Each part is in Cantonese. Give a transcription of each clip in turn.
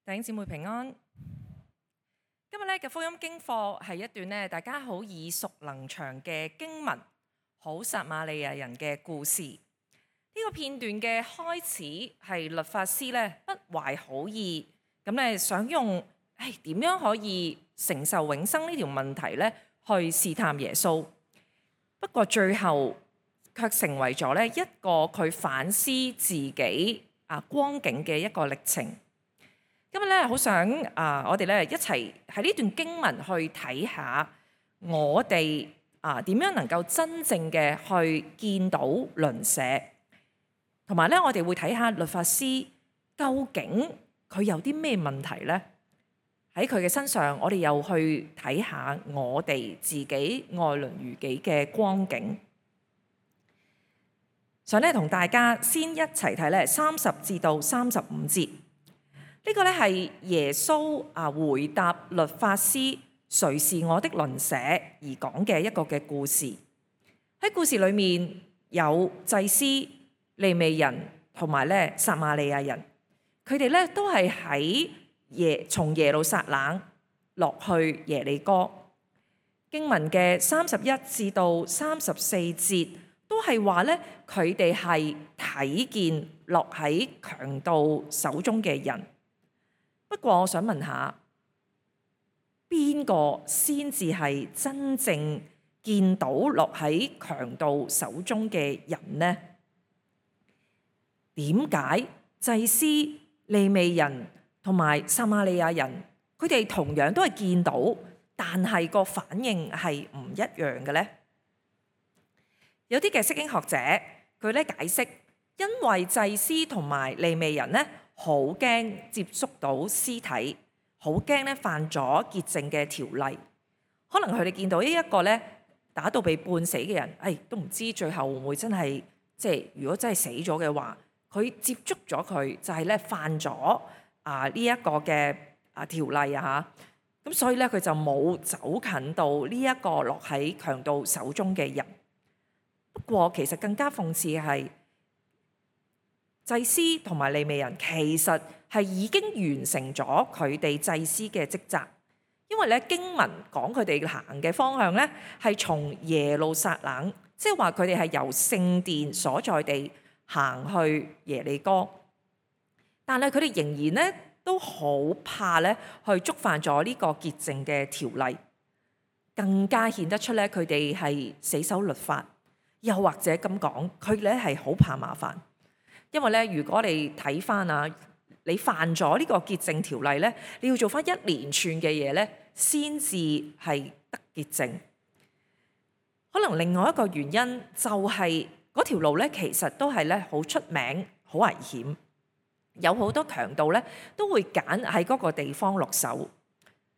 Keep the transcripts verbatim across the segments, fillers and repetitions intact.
弟兄姊妹平安。今日咧嘅福音經課係一段咧大家好耳熟能詳嘅經文，好撒瑪利亞人嘅故事。呢、這個片段嘅開始係律法師咧不懷好意，咁咧想用誒點樣可以承受永生呢條問題咧去試探耶穌。不過最後卻成為咗咧一個佢反思自己啊光景嘅一個歷程。今日咧好想啊，我哋咧一齊喺呢段經文去睇下，我哋啊點樣能夠真正嘅去見到鄰舍，同埋咧我哋會睇下律法師究竟佢有啲咩問題咧？喺佢嘅身上，我哋又去睇下我哋自己愛鄰如己嘅光景。想咧同大家先一齊睇咧三十至到三十五節。呢個咧係耶穌啊回答律法師誰是我的鄰舍而講嘅一個嘅故事。喺故事裏面有祭司、利未人同埋咧撒瑪利亞人，佢哋咧都係喺耶從耶路撒冷落去耶利哥。經文嘅三十一至到三十四節都係話咧佢哋係睇見落喺強盜手中嘅人。不過我想問下，邊個先至係真正見到落喺強盜手中嘅人呢？點解祭司、利未人同埋撒瑪利亞人，佢哋同樣都係見到，但係個反應係唔一樣嘅呢？有啲嘅釋經學者佢咧解釋，因為祭司同埋利未人呢，好驚接觸到屍體，好驚咧犯咗潔淨嘅條例。可能佢哋見到呢一個咧打到被半死嘅人，誒、哎、都唔知最後會唔會真係即係如果真係死咗嘅話，佢接觸咗佢就係咧犯咗啊呢一個嘅啊條例啊嚇。咁所以咧佢就冇走近到呢一個落喺強盜手中嘅人。不過其實更加諷刺嘅係，祭司同埋利未人其實係已經完成咗佢哋祭司嘅職責，因為咧經文講佢哋行嘅方向咧係從耶路撒冷，即係話佢哋係由聖殿所在地行去耶利哥，但係佢哋仍然咧都好怕咧去觸犯咗呢個潔淨嘅條例，更加顯得出咧佢哋係死守律法，又或者咁講，佢哋咧係好怕麻煩。因為咧，如果你睇翻啊，你犯咗呢個潔淨條例咧，你要做翻一連串嘅嘢咧，先至係得潔淨。可能另外一個原因就係嗰條路咧，其實都係咧好出名、好危險，有好多強盜咧都會揀喺嗰個地方落手。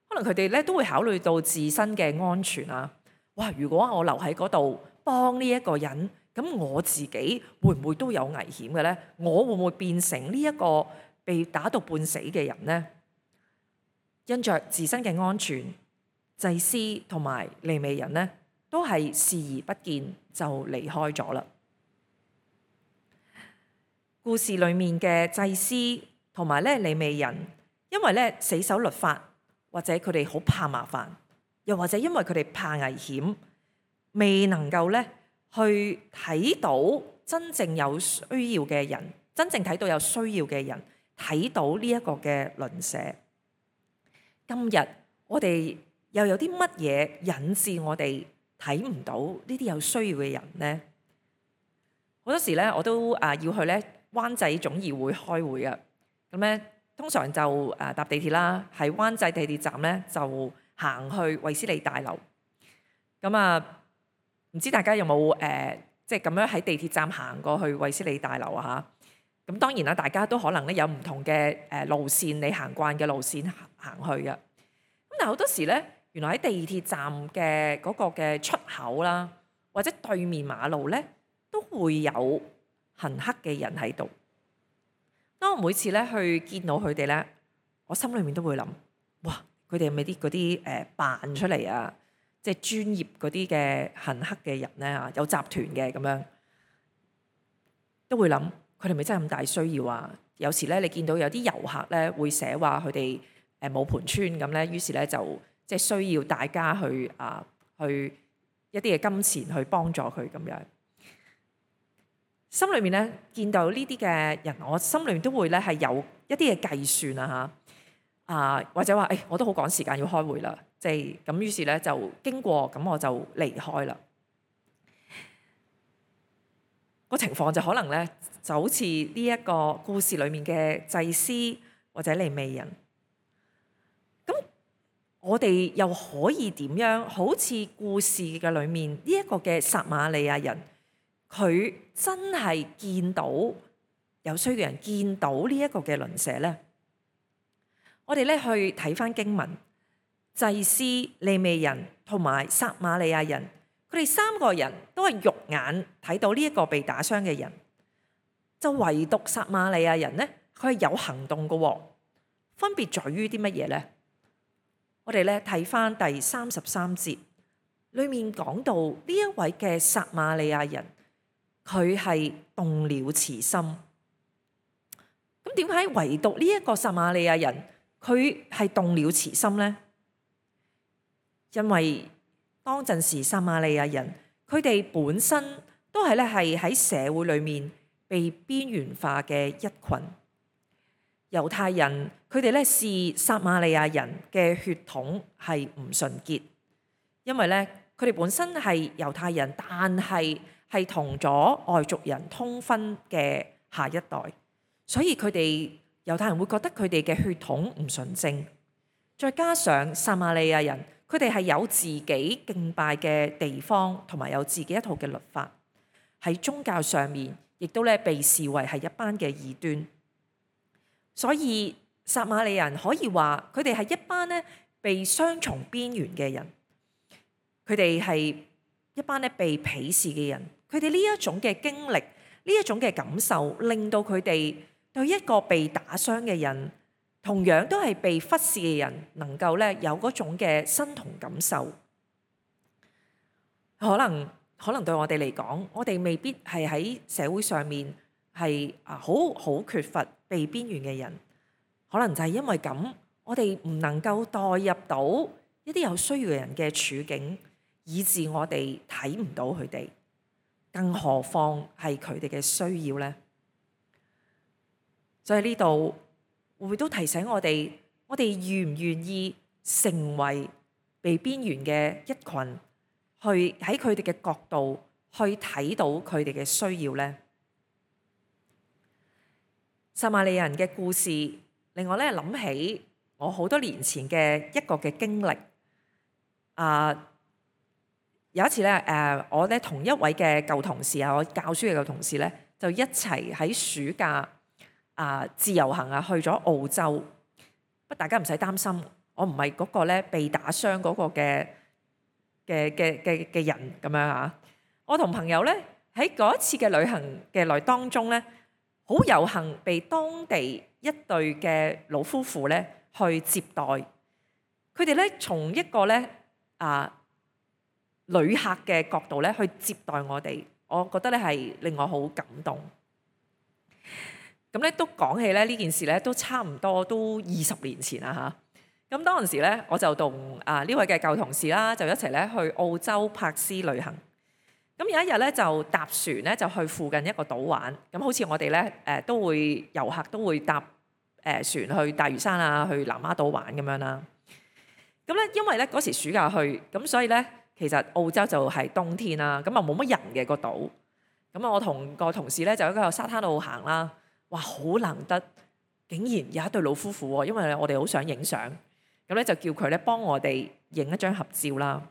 可能佢哋咧都會考慮到自身嘅安全啊。哇！如果我留喺嗰度幫呢一個人，咁我自己會唔會都有危險嘅呢？我會唔會變成呢一個被打到半死嘅人呢？因着自身嘅安全，祭司同埋利未人呢都係視而不見就離開咗啦。故事裡面嘅祭司同埋咧利未人，因為咧死守律法，或者佢哋好怕麻煩，又或者因為佢哋怕危險，未能夠咧去睇到真正有需要嘅人，真正睇到有需要嘅人，睇到呢一個嘅鄰舍。今日我哋又有啲乜嘢引致我哋睇唔到呢啲有需要嘅人呢？好多時咧，我都啊要去咧灣仔總議會開會啊。咁咧，通常就誒搭地鐵啦，喺灣仔地鐵站咧就行去衛斯理大樓。咁啊〜唔知大家有冇誒，即係咁樣喺地鐵站行過去衛斯理大樓啊？嚇，咁當然啦，大家都可能咧有唔同嘅誒路線，你行慣嘅路線行行去嘅。咁但係好多時咧，原來喺地鐵站嘅嗰個嘅出口啦，或者對面馬路咧，都會有行乞嘅人喺度。當我每次咧去見到佢哋咧，我心裏面都會諗：哇！佢哋係咪啲嗰啲誒扮出嚟啊？即係專業嗰啲嘅行乞嘅人咧嚇，有集團嘅咁樣，都會諗佢哋咪真係咁大需要啊？有時咧，你見到有啲遊客咧會寫話佢哋誒冇盤村咁咧，於是咧就即係需要大家去啊去一啲嘅金錢去幫助佢咁樣。心裏面咧見到呢啲嘅人，我心裏面都會咧係有一啲嘅計算啊嚇啊，或者話誒、哎、我都好趕時間要開會啦，即係咁，於是咧就經過咁我就離開啦。個情況就可能咧就好似呢一個故事裏面嘅祭司或者利未人。咁我哋又可以點樣好似故事嘅裏面呢一個嘅撒瑪利亞人，佢真係見到有需要嘅人，見到呢一個嘅鄰舍呢？我哋咧去睇翻經文，祭司、利未人同埋撒瑪利亞人，佢哋三個人都係肉眼睇到呢一個被打傷嘅人，就唯獨撒瑪利亞人呢，佢係有行動嘅喎。分別在於啲乜嘢呢？我哋咧睇翻第三十三節，裡面講到呢一位嘅撒瑪利亞人，佢係動了慈心。咁點解唯獨呢一個撒瑪利亞人佢係動了慈心呢？因為當陣時撒瑪利亞人佢哋本身都係咧係喺社會裏面被邊緣化嘅一群。猶太人佢哋咧視撒瑪利亞人嘅血統係唔純潔，因為咧佢哋本身係猶太人，但係係同咗外族人通婚嘅下一代，所以佢哋猶太人會覺得佢哋嘅血統唔純正。再加上撒瑪利亞人佢哋係有自己敬拜嘅地方，同埋有自己一套嘅律法，喺宗教上面亦都咧被視為係一班嘅異端。所以撒瑪利亞人可以話佢哋係一班咧被雙重邊緣嘅人，佢哋係一班咧被鄙視嘅人。佢哋呢一種嘅經歷，呢一種嘅感受，令到佢哋對一個被打傷嘅人，同樣都係被忽視嘅人，能夠咧有嗰種嘅身同感受。可能可能對我哋嚟講，我哋未必係喺社會上面係啊好好缺乏被邊緣嘅人，可能就係因為咁，我哋唔能夠代入到一啲有需要嘅人嘅處境，以致我哋睇唔到佢哋，更何況係佢哋嘅需要呢？所以呢度會唔會都提醒我哋，我哋願唔願意成為被邊緣嘅一群，去喺佢哋嘅角度去睇到佢哋嘅需要呢？撒瑪利亞人嘅故事令我咧諗起我好多年前嘅一個嘅經歷。啊，有一次咧，誒我咧同一位嘅舊同事啊，我教書嘅舊同事咧，就一齊喺暑假啊自由行啊去咗澳洲。不，大家唔使擔心，我唔係嗰個咧被打傷嗰個嘅嘅嘅嘅嘅人咁樣啊。我同朋友咧喺嗰一次嘅旅行嘅內當中咧，好有幸被當地一對嘅老夫婦咧去接待。佢哋咧從一個咧啊旅客嘅角度咧去接待我哋，我覺得咧係令我好感動。咁咧都講起咧呢件事咧都差唔多都二十年前啦嚇。咁當陣時咧我就同啊呢位嘅舊同事啦，就一齊咧去澳洲柏斯旅行。咁有一日咧就搭船咧就去附近一個島玩。咁好似我哋咧誒都會遊客都會搭誒船去大嶼山啊，去南丫島玩咁樣啦。咁咧因為咧嗰時暑假去，咁所以咧其實澳洲就係冬天啦，咁啊冇乜人嘅個島。咁啊我同個同事咧就喺個沙灘度行啦。哇！好難得，竟然有一對老夫婦喎，因為我哋好想影相，咁咧就叫佢咧幫我哋影一張合照啦。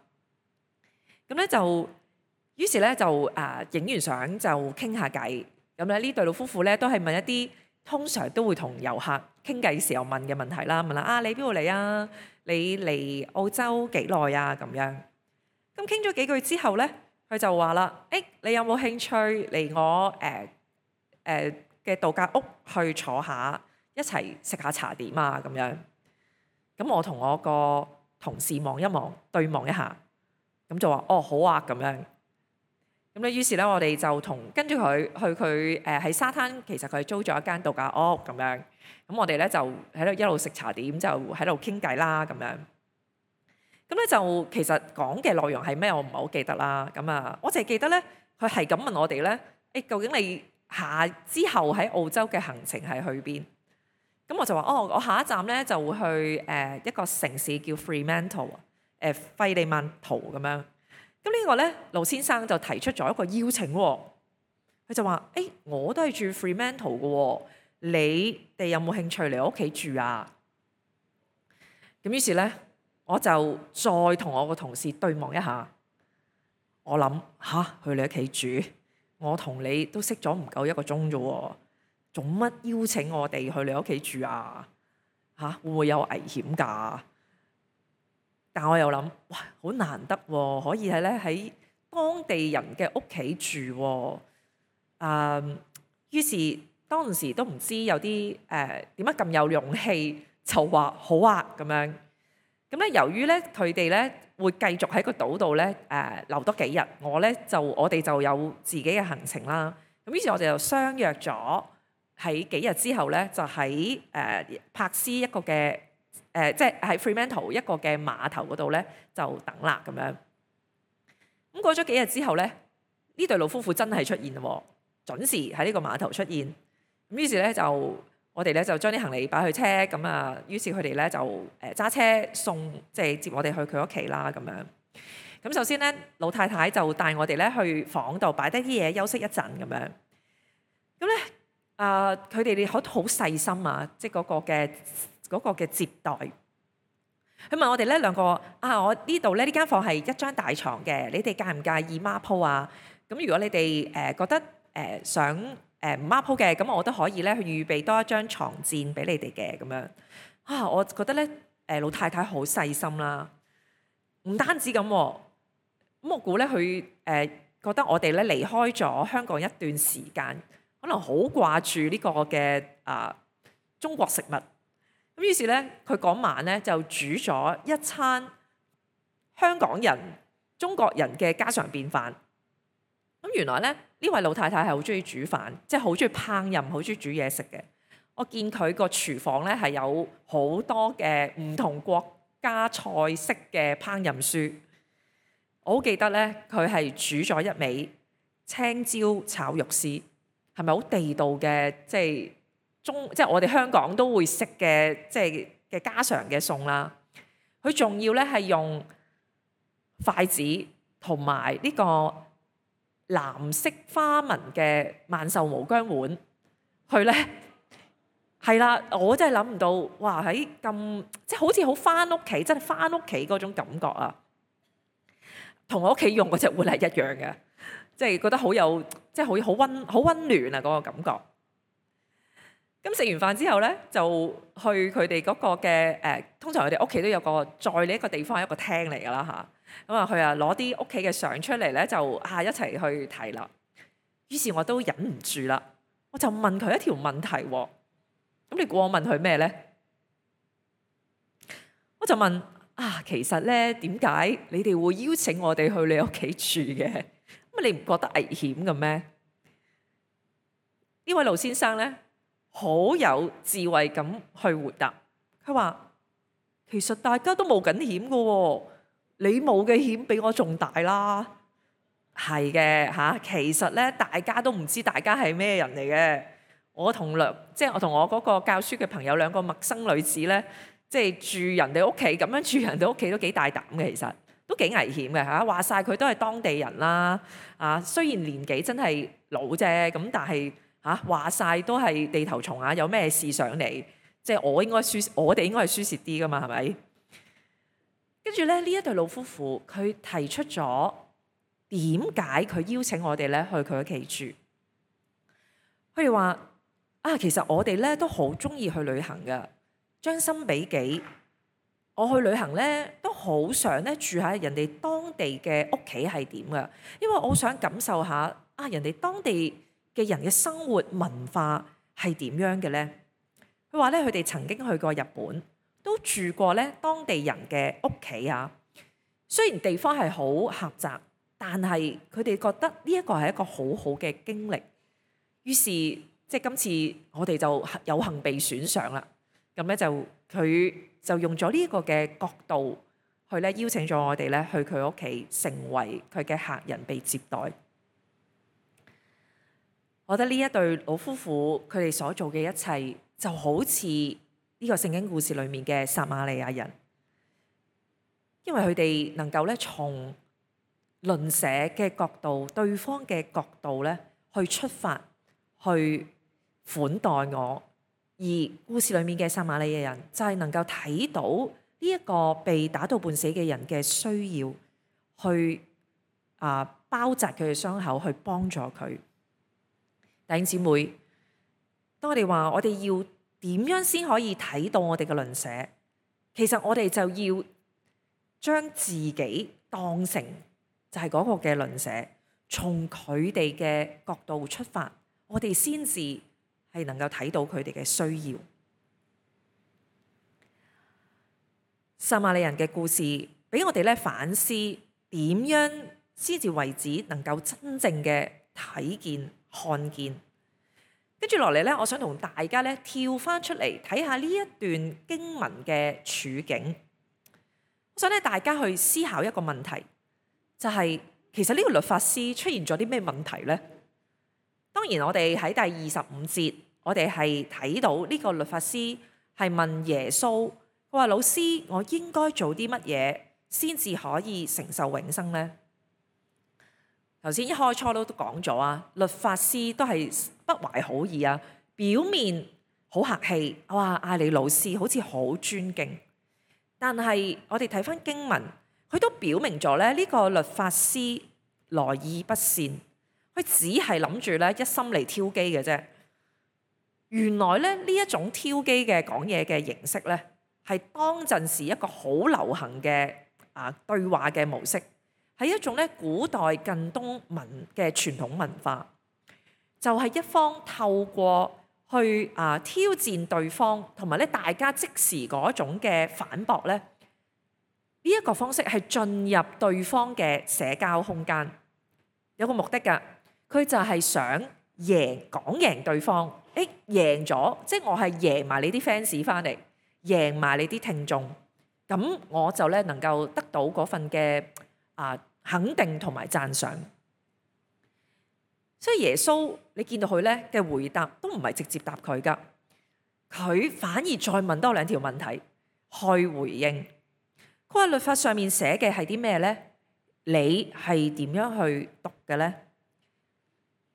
咁咧就，於是咧就誒影完相就傾下偈。咁咧呢對老夫婦咧都係問一啲通常都會同遊客傾偈時候問嘅問題啦，問啦啊你邊度嚟啊？你嚟澳洲幾耐啊？咁樣。咁傾咗幾句之後咧，佢就話啦：誒你有冇興趣嚟我誒誒？呃呃嘅度假屋去坐下，一齊食下茶點啊咁樣。咁我同我個同事望一望，對望一下，咁就話哦好啊咁樣。咁咁咧，於是咧我哋就同跟住佢去佢誒喺沙灘，其實佢租咗一間度假屋咁樣。咁我哋咧就喺度一路食茶點，就喺度傾偈啦咁樣。咁咧就其實講嘅內容係咩？我唔係好記得啦。咁啊，我淨係記得咧，佢係咁問我哋咧，誒究竟你下之後喺澳洲嘅行程係去邊？咁我就話：哦，我下一站咧就會去誒一個城市叫 Fremantle 誒費利曼圖咁樣。咁呢個咧，盧先生就提出咗一個邀請喎。佢就話：誒我都係住 Fremantle 嘅喎，你哋有冇興趣嚟我屋企住啊？咁於是咧，我就再同我個同事對望一下。我諗吓，去你屋企住，我同你都識咗唔夠一個鐘啫喎。做乜邀請我哋去你屋企住啊？嚇、啊、會唔會有危險㗎？但我又諗，哇，好難得喎，可以係咧喺當地人嘅屋企住喎。誒，於是當時都唔知有啲誒點解咁有勇氣，就話好啊咁樣。咁咧，由於咧佢哋咧會繼續喺個島度咧誒留多幾日，我咧就我哋就有自己嘅行程啦。咁於是我哋就相約咗。喺幾日之後咧，就喺誒柏斯一個嘅誒、呃，即係喺 Fremantle 一個嘅碼頭嗰度咧，就等啦咁樣。咁過咗幾日之後咧，呢對老夫婦真係出現喎，準時喺呢個碼頭出現。咁於是咧就我哋咧就將啲行李擺去車，咁啊，於是佢哋咧就誒揸車送，即係接我哋去佢屋企啦咁樣。咁首先咧，老太太就帶我哋咧去房度擺低啲嘢休息一陣咁樣。咁咧。啊！佢哋哋好好細心啊，即係嗰個嘅嗰個嘅接待。佢問我哋咧兩個啊，我呢度咧呢間房係一張大床嘅，你哋介唔介意孖鋪啊？咁如果你哋誒覺得誒想誒唔孖鋪嘅，咁我都可以咧去預備多一張床墊俾你哋嘅咁樣。啊，我覺得咧誒老太太好細心啦，唔單止咁，咁我估咧佢誒覺得我哋咧離開咗香港一段時間。可能好掛住呢個嘅啊中國食物，咁於是咧佢嗰晚咧就煮咗一餐香港人、中國人嘅家常便飯。咁原來咧呢位老太太係好中意煮飯，即係好中意烹飪，好中意煮嘢食嘅。我見佢個廚房咧係有好多嘅唔同國家菜式嘅烹飪書。我好記得咧，佢係煮咗一味青椒炒肉絲。係咪好地道嘅？即係中，即係我哋香港都會食嘅，即係嘅家常嘅餸啦。佢仲要咧係用筷子同埋呢個藍色花紋嘅萬壽無疆碗，佢咧係啦，我真係諗唔到，哇！喺咁即係好似好返屋企，真係返屋企嗰種感覺啊，同我屋企用嗰隻碗係一樣嘅。即係覺得好有，即係好好溫好溫暖啊！嗰個感覺。咁食完飯之後咧，就去佢哋嗰個嘅誒，通常佢哋屋企都有個在呢一個地方係一個廳嚟㗎啦嚇。咁啊，佢啊攞啲屋企嘅相出嚟咧，就啊一齊去睇啦。於是我都忍唔住啦，我就問佢一條問題喎。咁你估我問佢咩咧？我就問啊，其實咧點解你哋會邀請我哋去你屋企住嘅？咁你唔覺得危險嘅咩？呢位盧先生咧，好有智慧咁去回答。佢話：其實大家都冒緊險嘅喎，你冒嘅險比我仲大啦。係嘅嚇，其實咧大家都唔知大家係咩人嚟嘅。我同兩即係我同我嗰個教書嘅朋友兩個陌生女子咧，即係住人哋屋企咁樣住人哋屋企都幾大膽嘅，其實。都幾危險嘅嚇，話晒佢都係當地人啦，啊雖然年紀真係老啫，咁但係嚇話晒都係地頭蟲啊，有咩事上嚟，即係我應該輸，我哋應該係輸蝕啲噶嘛，係咪？跟住咧呢一對老夫婦，佢提出咗點解佢邀請我哋咧去佢屋企住？佢哋話啊，其實我哋咧都好中意去旅行噶，將心比己。我去旅行咧，都好想咧住喺人哋當地嘅屋企係點噶，因為我好想感受下啊人哋當地嘅人嘅生活文化係點樣嘅咧。佢話咧，佢哋曾經去過日本，都住過咧當地人嘅屋企啊。雖然地方係好狹窄，但係佢哋覺得呢一個係一個好好嘅經歷，於是即係今次我哋就有幸被選上啦。咁咧就佢就用咗呢一個嘅角度去咧邀請咗我哋咧去佢屋企，成為佢嘅客人被接待。我覺得呢一對老夫婦佢哋所做嘅一切，就好似呢個聖經故事裏面嘅撒瑪利亞人，因為佢哋能夠咧從鄰舍嘅角度、對方嘅角度咧去出發，去款待我。而故事裏面嘅撒瑪利亞人就係能夠睇到呢一個被打到半死嘅人嘅需要，去啊包紮佢嘅傷口，去幫助佢。弟兄姊妹，當我哋話我哋要點樣先可以睇到我哋嘅鄰舍，其實我哋就要將自己當成就係嗰個嘅鄰舍，從佢哋嘅角度出發，我哋先至係能夠睇到佢哋嘅需要。撒瑪利人嘅故事俾我哋咧反思，點樣先至為止能夠真正嘅睇見看見。跟住落嚟咧，我想同大家咧跳翻出嚟睇下呢一段經文嘅處境。我想咧大家去思考一個問題，就係、是、其實呢個律法師出現咗啲咩問題呢？當然我哋喺第二十五節，我哋係睇到呢個律法師係問耶穌，佢話：老師，我應該做啲乜嘢先至可以承受永生呢？頭先一開初都講咗啊，律法師都係不懷好意啊，表面好客氣，哇嗌你老師好似好尊敬，但係我哋睇翻經文，佢都表明咗咧呢個律法師來意不善，佢只係諗住咧一心嚟挑機嘅啫。原來咧呢一種挑機嘅講嘢嘅形式咧，係當陣時一個好流行嘅啊對話嘅模式。係一種咧古代近東文嘅傳統文化，就係、是、一方透過去啊挑戰對方，同埋咧大家即時嗰種嘅反駁咧，呢、這、一個方式係進入對方嘅社交空間，有個目的㗎，佢就係想贏講贏對方，誒贏咗，即係我係贏埋你啲 fans 翻嚟，贏埋你啲聽眾，咁我就咧能夠得到嗰份嘅啊。肯定同埋讚賞，所以耶穌你見到佢咧嘅回答都唔係直接答佢噶，佢反而再問多兩條問題去回應。佢話律法上面寫嘅係啲咩咧？你係點樣去讀嘅咧？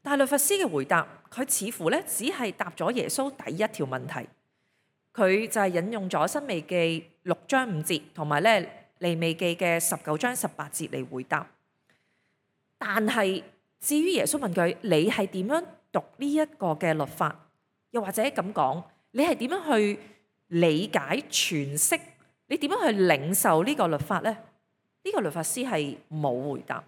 但係律法師嘅回答，佢似乎咧只係答咗耶穌第一條問題，佢就係引用咗申命記六章五節同埋咧。利未記嘅十九章十八節嚟回答，但係至於耶穌問佢，你係點樣讀呢一個嘅律法？又或者咁講，你係點樣去理解詮釋？你點樣去領受呢個律法呢？呢、呢個律法師係冇回答。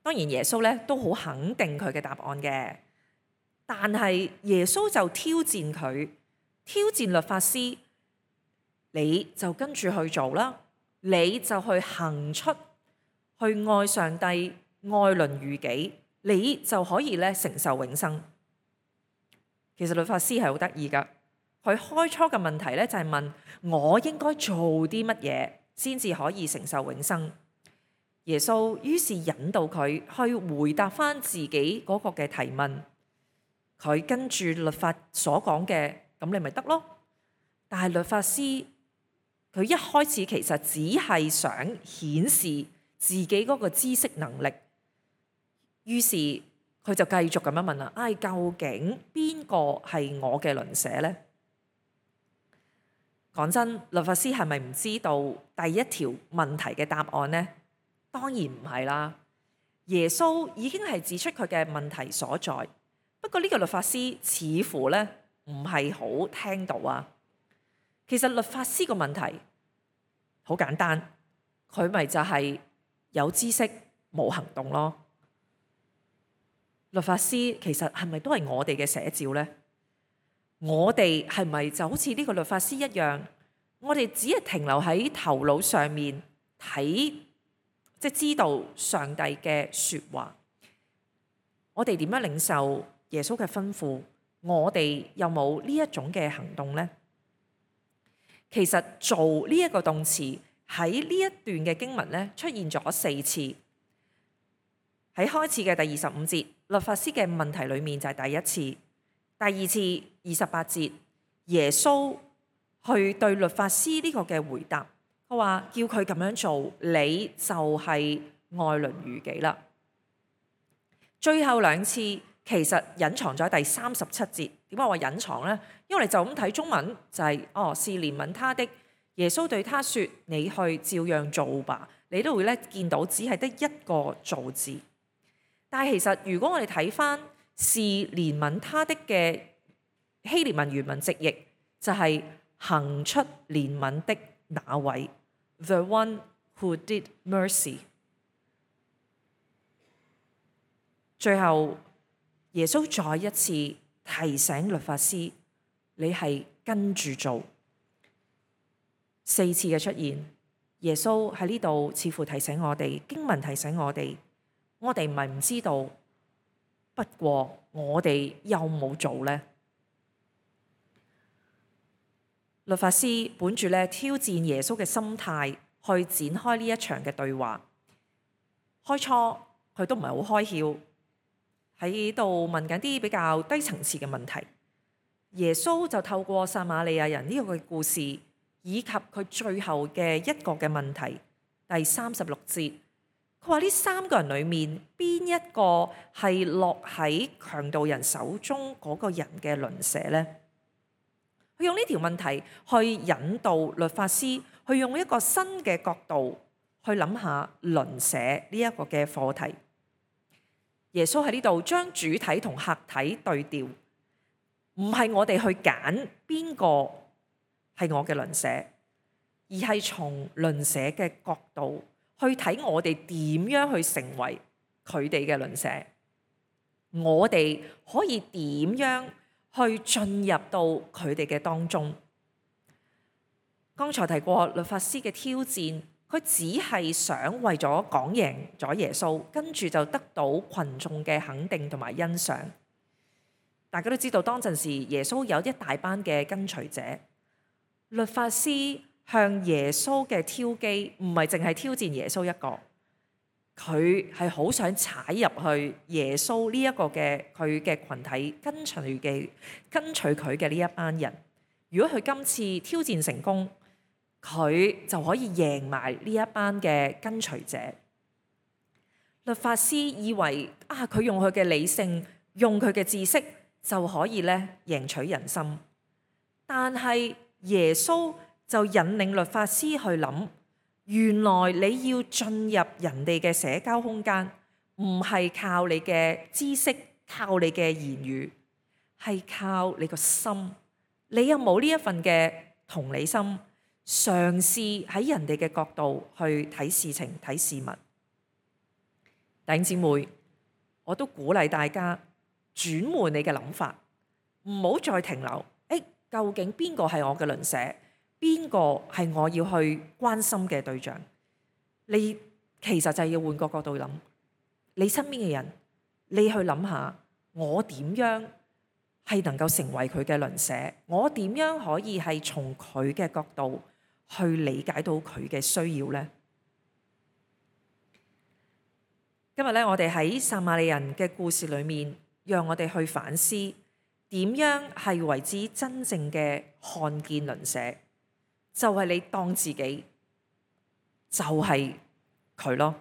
當然耶穌咧都好肯定佢嘅答案嘅，但係耶穌就挑戰佢，挑戰律法師。你就跟住去做啦，你就去行出，去愛上帝，愛鄰如己，你就可以咧承受永生。其實律法師係好得意噶，佢開初嘅問題咧就係問我應該做啲乜嘢先至可以承受永生。耶穌於是引導佢去回答翻自己嗰個嘅提問，佢跟住律法所講嘅，咁你咪得咯。但係律法師。佢一開始其實只係想顯示自己嗰個知識能力，於是佢就繼續咁樣問啦：唉、哎，究竟邊個係我嘅鄰舍呢？講真，律法師係咪唔知道第一條問題嘅答案呢？當然唔係啦。耶穌已經係指出佢嘅問題所在，不過呢個律法師似乎咧唔係好聽到啊。其實律法師個問題好簡單，佢咪就係有知識冇行動咯。律法師其實係咪都係我哋嘅寫照呢？我哋係咪就好似呢個律法師一樣？我哋只係停留喺頭腦上面睇即係知道上帝嘅説話。我哋點樣領受耶穌嘅吩咐？我哋有冇呢一種嘅行動呢？其實做呢一個動詞喺呢一段嘅經文咧出現咗四次。喺開始嘅第二十五節，律法師嘅問題裡面就係第一次。第二次二十八節，耶穌去對律法師呢個嘅回答，佢話叫佢咁樣做，你就係愛鄰如己啦。最後兩次其實隱藏咗第三十七節。點解話隱藏呢？因為你就咁睇中文就係、是、哦，是憐憫他的。耶穌對他說：你去照樣做吧。你都會咧見到只係得一個做字。但係其實如果我哋睇翻是憐憫他的嘅希臘文原文直譯，就係、是、行出憐憫的那位 ，the one who did mercy。最後耶穌再一次提醒律法師，你係跟住做。四次嘅出現，耶穌喺呢度似乎提醒我哋，經文提醒我哋，我哋唔係唔知道，不過我哋有冇做呢？律法師本住咧挑戰耶穌嘅心態去展開呢一場嘅對話。開初佢都唔係好開竅，喺度問緊啲比較低層次嘅問題。耶穌就透過撒瑪利亞人呢個嘅故事，以及佢最後嘅一個嘅問題，第三十六節，佢話呢三個人裡面邊一個係落喺強盜人手中嗰個人嘅鄰舍呢？佢用呢條問題去引導律法師去用一個新嘅角度去諗下鄰舍呢一個嘅課題。耶穌喺呢度將主體同客體對調，唔係我哋去揀邊個係我嘅鄰舍，而係從鄰舍嘅角度去睇我哋點樣去成為佢哋嘅鄰舍。我哋可以點樣去進入到佢哋嘅當中？剛才提過律法師嘅挑戰。佢只係想為咗講贏咗耶穌，跟住就得到群眾嘅肯定同埋欣賞。大家都知道當陣時耶穌有一大班嘅跟隨者，律法師向耶穌嘅挑機唔係淨係挑戰耶穌一個，佢係好想踩入去耶穌呢一個嘅佢嘅群體跟隨嘅跟隨佢嘅呢一班人。如果佢今次挑戰成功，佢就可以贏埋呢一班嘅跟隨者。律法師以為啊，佢用佢嘅理性，用佢嘅知識就可以咧贏取人心。但係耶穌就引領律法師去諗，原來你要進入人哋嘅社交空間，唔係靠你嘅知識，靠你嘅言語，係靠你個心。你有冇呢一份嘅同理心？嘗試喺人哋嘅角度去睇事情、睇事物。弟兄姊妹，我都鼓勵大家轉換你嘅諗法，唔好再停留。誒，究竟邊個係我嘅鄰舍？邊個係我要去關心嘅對象？你其實就係要換個角度諗，你身邊嘅人，你去諗下，我點樣係能夠成為佢嘅鄰舍？我點樣可以係從佢嘅角度去理解到佢嘅需要呢？今日咧，我哋喺撒瑪利人嘅故事裏面，讓我哋去反思點樣係為之真正嘅看見鄰舍，就係你當自己就係佢咯。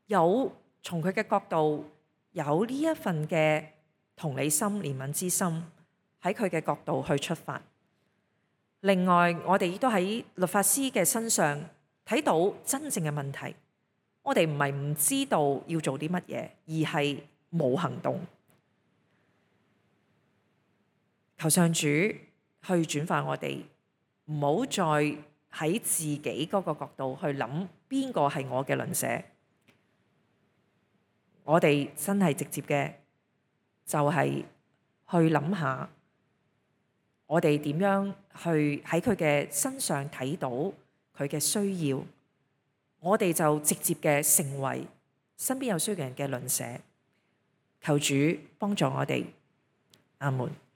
有從佢嘅角度有呢一份嘅同理心、憐憫之心，喺佢嘅角度去出發。另外，我哋亦都喺律法師嘅身上睇到真正嘅問題。我哋唔係唔知道要做啲乜嘢，而係冇行動。求上主去轉化我哋，唔好再喺自己嗰個角度去諗邊個係我嘅鄰舍。我哋真係直接嘅，就係去諗下，我哋點樣去喺佢嘅身上睇到佢嘅需要，我哋就直接嘅成為身邊有需要嘅人嘅鄰舍。求主幫助我哋，阿門。